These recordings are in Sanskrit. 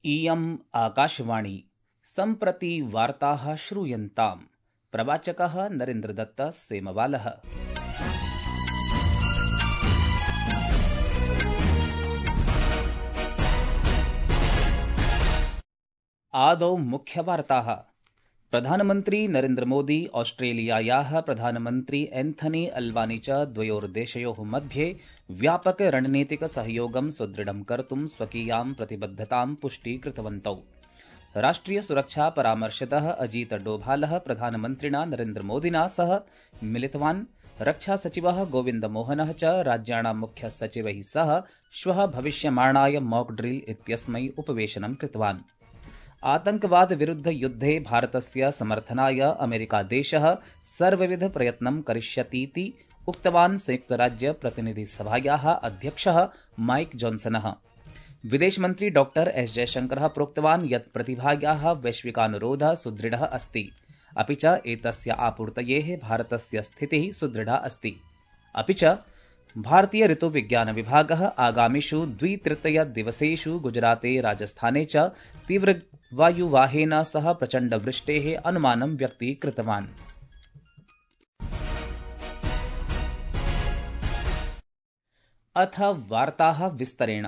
इयम् आकाशवाणी सम्प्रति वार्ताः श्रूयन्ताम्। प्रवाचकः नरेन्द्रदत्त सेमवालः। आदौ मुख्यवार्ताः। प्रधानमन्त्री नरेन्द्र मोदी ऑस्ट्रेलियायाः प्रधानमन्त्री एन्थनी अल्बानी च द्वयोर्देशयोः मध्ये व्यापक रणनीतिक सहयोगं सुदृढं कर्तुं स्वकीयां प्रतिबद्धतां पुष्टीकृतवन्तौ। राष्ट्रिय सुरक्षा परामर्शदः अजीत डोभालः प्रधानमन्त्रिणा नरेन्द्र मोदिना सह मिलितवान्। रक्षा सचिवः गोविन्द मोहनः च राज्याणां मुख्य सचिवैः सह श्वः भविष्यमाणाय मॉक ड्रिल इत्यस्मै उपवेशनं कृतवान्। आतंकवाद विरुद्ध युद्धे भारतस्य समर्थनाय अमेरिकादेशः सर्वविध प्रयत्नं करिष्यतीति उक्तवान् संयुक्तराज्य प्रतिनिधिसभायाः अध्यक्षः माइक जॉन्सनः। विदेशमन्त्री डॉ एस जयशंकरः प्रोक्तवान् यत् प्रतिभायाः वैश्विकानुरोधः सुदृढः अस्ति, अपि च एतस्य आपूर्तयेः भारतस्य स्थितिः सुदृढा अस्ति। अपि च भारतीय ऋतुविज्ञान विभागः आगामिषु 2/3 दिवसेषु गुजराते राजस्थाने च तीव्रवायुवाहेन सह प्रचण्डवृष्टेः अनुमानं व्यक्तीकृतवान्। अथ वार्ताः विस्तरेण।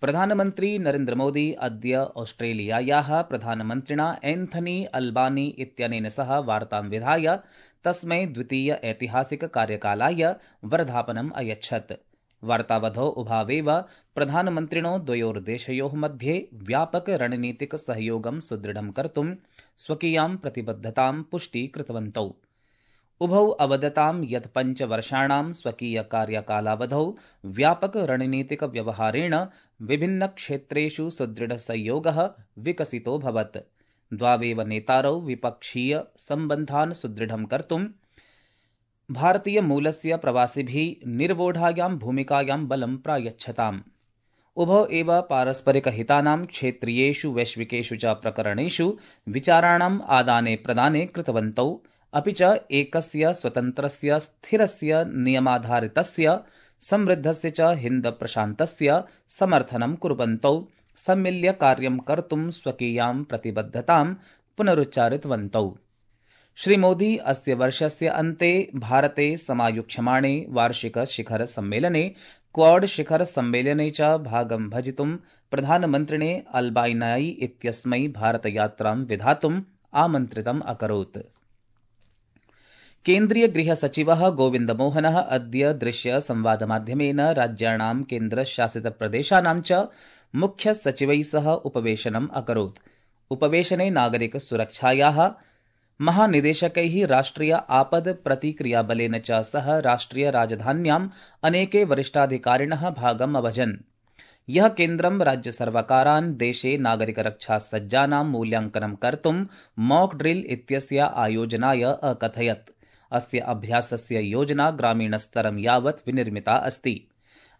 प्रधानमन्त्री नरेन्द्र मोदी अद्य ऑस्ट्रेलियायाः प्रधानमन्त्रिणा एन्थनी अल्बानी इत्यनेन सह वार्तां विधाय तस्मै द्वितीय ऐतिहासिक कार्यकालाय वर्धापनम् अयच्छत्। वार्तावधौ उभावेव प्रधानमन्त्रिणो द्वयोर्देशयोः मध्ये व्यापक रणनीतिक सहयोगं सुदृढं कर्तुं स्वकीयां प्रतिबद्धतां पुष्टीकृतवन्तौ। उभौ अवदतां यत् 5 वर्षाणां स्वकीय कार्यकालावधौ व्यापक रणनीतिक व्यवहारेण विभिन्न क्षेत्रेषु सुदृढ सहयोगः विकसितोऽभवत्। द्वावेव नेतारौ विपक्षीय सम्बन्धान् सुदृढं कर्तुं भारतीय मूलस्य प्रवासिभिः निर्वोढायां भूमिकायां बलं प्रायच्छताम्। उभौ एव पारस्परिकहितानां क्षेत्रीयेषु वैश्विकेषु च प्रकरणेषु विचाराणाम् आदाने प्रदाने कृतवन्तौ, अपि च एकस्य स्वतन्त्रस्य स्थिरस्य नियमाधारितस्य समृद्धस्य च हिन्द प्रशान्तस्य समर्थनं कुर्वन्तौ सम्मिल्य कार्यं कर्तुं स्वकीयां प्रतिबद्धतां पुनरुच्चारितवन्तौ। श्रीमोदी अस्य वर्षस्य अन्ते भारते समायोक्ष्यमाणे वार्षिक शिखर सम्मेलने क्वाड शिखर सम्मेलने च भागं भजितुं प्रधानमन्त्रिणे अल्बानी इत्यस्मै भारतयात्रां विधातुम् आमन्त्रितम् अकरोत्। केन्द्रीय गृह सचिवः गोविन्द मोहनः अद्य दृश्य संवादमाध्यमेन राज्याणां केन्द्रशासित प्रदेशानां च मुख्य सचिवैः सह उपवेशनम् अकरोत्। उपवेशने नागरिक सुरक्षायाः महानिदेशकैः राष्ट्रिय आपद प्रतिक्रियाबलेन च सह राष्ट्रिय राजधान्याम् अनेके वरिष्ठाधिकारिणः भागम् अभजन्। यः केन्द्रं राज्य सर्वकारान् देशे नागरिकरक्षासज्जानां मूल्यांकनं कर्तुं मॉक ड्रिल इत्यस्य आयोजनाय अकथयत्। अस्य अभ्यासस्य योजना ग्रामीणस्तरं यावत् विनिर्मिता अस्ति।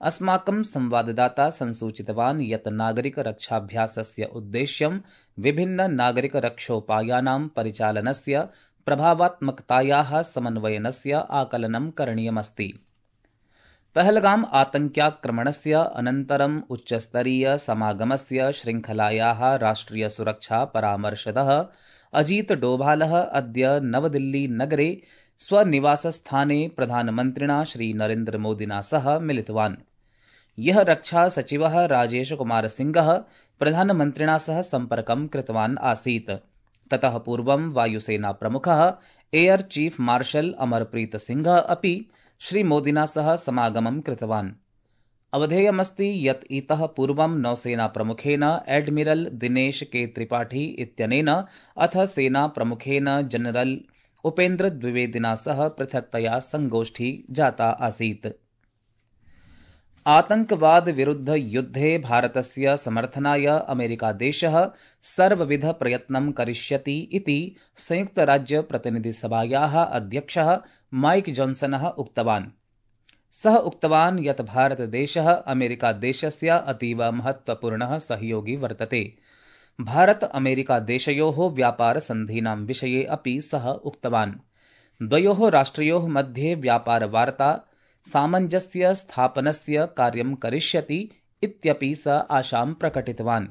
अस्माकं संवाददाता संसूचितवान् यत् नागरिकरक्षाभ्यासस्य उद्देश्यं विभिन्न नागरिकरक्षोपायानां परिचालनस्य प्रभावात्मकतायाः समन्वयनस्य आकलनं करणीयमस्ति। पहलगाम आतङ्क्याक्रमणस्य अनन्तरम् उच्चस्तरीय समागमस्य श्रृङ्खलायाः राष्ट्रिय सुरक्षा परामर्शदः अजीत डोभालः अद्य नवदिल्ली नगरे स्वनिवासस्थाने प्रधानमन्त्रिणा श्रीनरेन्द्र मोदिना सह मिलितवान्। यः रक्षा सचिवः राजेश कुमार सिंहः प्रधानमन्त्रिणा सह सम्पर्कं कृतवान् आसीत्। ततः पूर्वं वायुसेना प्रमुखः एयर चीफ मार्शल अमरप्रीत सिंहः अपि श्रीमोदिना सह समागमं कृतवान्। अवधेयमस्ति यत् इतः पूर्वं नौसेना प्रमुखेन एडमिरल दिनेश के त्रिपाठी इत्यनेन अथ सेना प्रमुखेन जनरल उपेन्द्र द्विवेदिना सह पृथक्तया संगोष्ठी जाता आसीत्। आतंकवाद विरुद्ध युद्धे भारतस्य समर्थनाय अमेरिकादेशः सर्वविध प्रयत्नं करिष्यति इति संयुक्तराज्य प्रतिनिधिसभायाः अध्यक्षः माइक जॉन्सनः उक्तवान्। सः उक्तवान् यत् भारतदेशः अमेरिकादेशस्य अतीव महत्वपूर्णः सहयोगी वर्तते। भारत अमेरिकादेशयोः व्यापारसन्धीनां विषये अपि सः उक्तवान्। द्वयोः राष्ट्रयोः मध्ये व्यापारवार्ता सामञ्जस्य स्थापनस्य कार्यं करिष्यति इत्यपि स आशां प्रकटितवान्।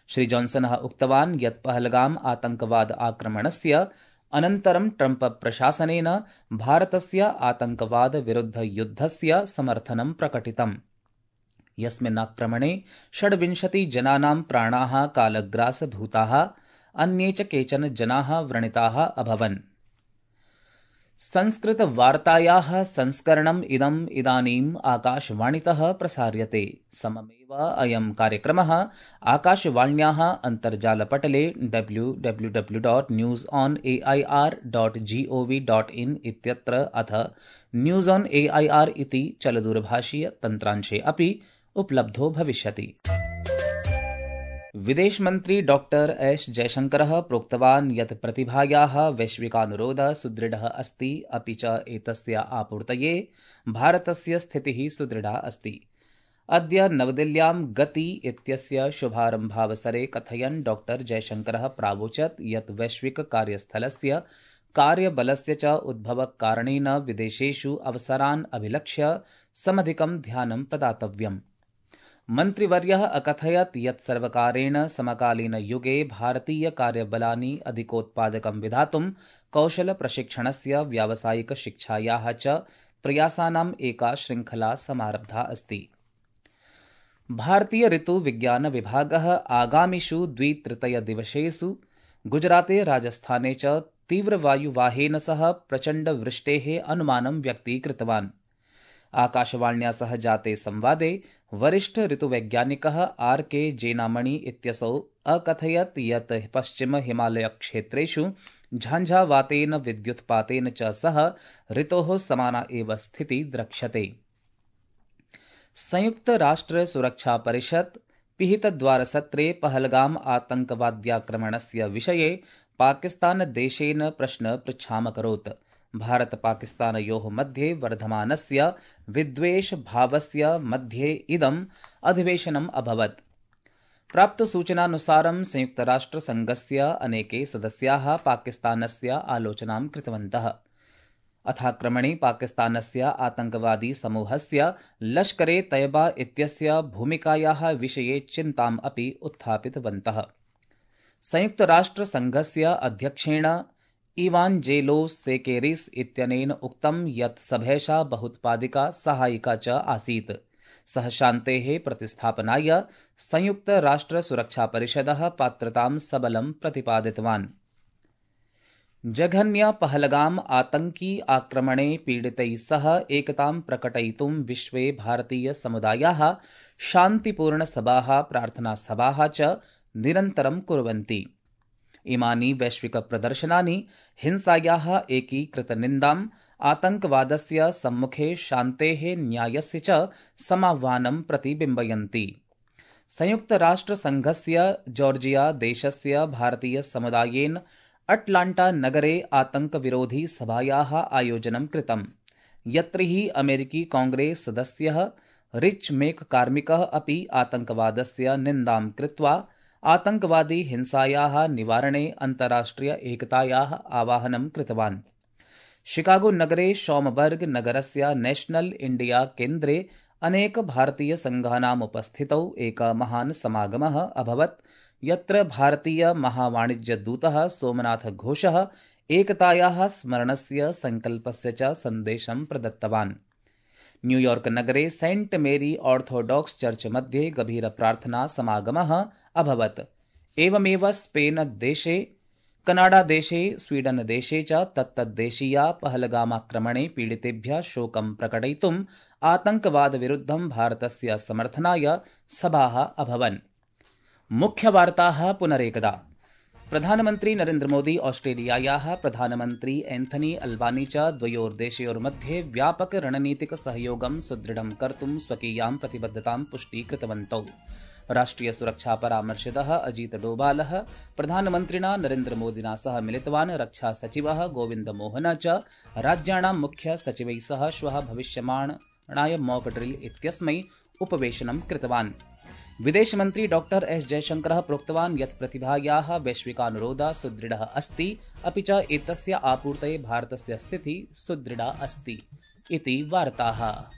श्री जॉन्सनः उक्तवान् यत् पहलगाम आतंकवाद आक्रमणस्य अनन्तरं ट्रम्प प्रशासनेन भारतस्य आतंकवाद विरुद्ध युद्धस्य समर्थनं प्रकटितम्। यस्मिन् आक्रमणे 26 जनानां प्राणाः कालग्रासभूताः, अन्ये च केचन जनाः व्रणिताः अभवन्। संस्कृतवार्तायाः संस्करणम् इदानीम् आकाशवाणीतः प्रसार्यते। सममेव अयं कार्यक्रमः आकाशवाण्याः अन्तर्जालपटले www.newsonair.gov.in इत्यत्र अथ न्यूज़ ऑन एआईआर इति चलदूरभाषीय तन्त्रांशे अपि उपलब्धो भविष्यति। विदेशमन्त्री डॉक्टर एस जयशंकरः प्रोक्तवान् यत् प्रतिभायाः वैश्विकानुरोधः सुदृढः अस्ति, अपि च एतस्य आपूर्तये भारतस्य स्थितिः सुदृढा अस्ति। अद्य नवदिल्ल्यां गति इत्यस्य शुभारम्भावसरे कथयन् डॉक्टर जयशंकरः प्रावोचत् यत् वैश्विक कार्यस्थलस्य कार्यबलस्य च उद्भवकारणेन विदेशेषु अवसरान् अभिलक्ष्य समधिकं ध्यानं प्रदातव्यम्। मन्त्रिवर्यः अकथयत् यत् सर्वकारेण समकालीनयुगे भारतीय कार्यबलानि अधिकोत्पादकं विधातुं कौशलप्रशिक्षणस्य व्यावसायिकशिक्षायाः च प्रयासानाम् एका शृङ्खला समारब्धा अस्ति। भारतीय ऋतुविज्ञानविभागः आगामिषु 2/3 दिवसेषु गुजराते राजस्थाने च तीव्रवायुवाहेन सह प्रचण्डवृष्टेः अनुमानं व्यक्तीकृतवान्। आकाशवाण्या सह जाते संवादे वरिष्ठ ऋतुवैज्ञानिकः R.K. जेनामणि इत्यसौ अकथयत् यत् पश्चिम हिमालय क्षेत्रेषु झांझावातेन विद्युत्पातेन च सह ऋतोः समाना एव स्थितिः द्रक्ष्यते। संयुक्त राष्ट्र सुरक्षा परिषत् पिहितद्वारसत्रे पहलगाम आतंकवाद्याक्रमणस्य विषये पाकिस्तानदेशेन प्रश्न पृच्छामकरोत्। भारत-पाकिस्तानयोः मध्ये वर्धमानस्य विद्वेषभावस्य मध्ये इदम् अधिवेशनम् अभवत्। प्राप्तसूचनानुसारं संयुक्तराष्ट्रसङ्घस्य अनेके सदस्याः पाकिस्तानस्य आलोचनां कृतवन्तः। अथाक्रमणे पाकिस्तानस्य आतंकवादी समूहस्य लश्करे तैयबा इत्यस्य भूमिकायाः विषये चिन्ताम् अपि उत्थापितवन्तः। संयुक्तराष्ट्रसङ्घस्य अध्यक्षेण इवाञ्जेलोस् सेकेरिस् इत्यनेन उक्तं यत् सभैषा बहुत्पादिका सहायिका च आसीत्। सः शान्तेः प्रतिस्थापनाय संयुक्तराष्ट्रसुरक्षापरिषदः पात्रतां सबलं प्रतिपादितवान्। जघन्य पहलगाम आतंकी आक्रमणे पीडितैः सह एकतां प्रकटयितुं विश्वे भारतीय समुदायाः शान्तिपूर्णसभाः प्रार्थनासभाः च निरन्तरं कुर्वन्ति। इमानि वैश्विकप्रदर्शनानि हिंसायाः एकीकृतनिन्दाम्, आतंकवादस्य सम्मुखे शान्तेः न्यायस्य च समाह्वानं प्रतिबिम्बयन्ति। संयुक्तराष्ट्रसङ्घस्य जॉर्जिया देशस्य भारतीयसमुदायेन अटलाण्टा नगरे आतंकविरोधी सभायाः आयोजनं कृतम्, यत्र हि अमेरिकी कांग्रेस सदस्यः रिच मेककार्मिकः अपि आतंकवादस्य निन्दां कृत्वा आतंकवादी हिंसायाः निवारणे अन्ताराष्ट्रिय एकतायाः आवाहनं कृतवान्। शिकागो नगरे शॉमबर्ग नगरस्य नेशनल इंडिया केन्द्रे अनेक भारतीय संघानाम् उपस्थितौ एकः महान् समागमः अभवत्, यत्र भारतीय महावाणिज्यदूतः सोमनाथ घोषः एकतायाः स्मरणस्य संकल्पस्य च सन्देशं प्रदत्तवान्। न्यूयॉर्क नगरे सेंट मेरी ऑर्थोडॉक्स चर्च मध्ये गभीरप्रार्थना समागमः अभवत्। एवमेव स्पेन देशे, कनाडा देशे, स्वीडन देशे च तत्तद्देशीया पहलगामाक्रमणे पीडितेभ्यः शोकं प्रकटयितुम् आतंकवादविरुद्धं भारतस्य समर्थनाय सभाः अभवन्। मुख्यवार्ताः पुनरेकदा। प्रधानमन्त्री नरेन्द्र मोदी ऑस्ट्रेलियायाः प्रधानमन्त्री एन्थनी अल्बानी च द्वयोर्देशयोर्मध्ये व्यापक रणनीतिक सहयोगं सुदृढं कर्तुं स्वकीयां प्रतिबद्धतां पुष्टीकृतवन्तौ। राष्ट्रिय सुरक्षा परामर्शदः अजीत डोभालः प्रधानमन्त्रिणा नरेन्द्र मोदिना सह मिलितवान्। रक्षा सचिवः गोविन्द मोहन च राज्याणां मुख्य सचिवैः सह श्वः भविष्यमाणाय मॉक ड्रिल इत्यस्मै उपवेशनं कृतवान्। विदेशमन्त्री डॉक्टर एस जयशंकरः प्रोक्तवान् यत् प्रतिभायाः वैश्विकानुरोधः सुदृढः अस्ति, अपि च एतस्य आपूर्तये भारतस्य स्थितिः सुदृढा अस्ति इति वार्ताः।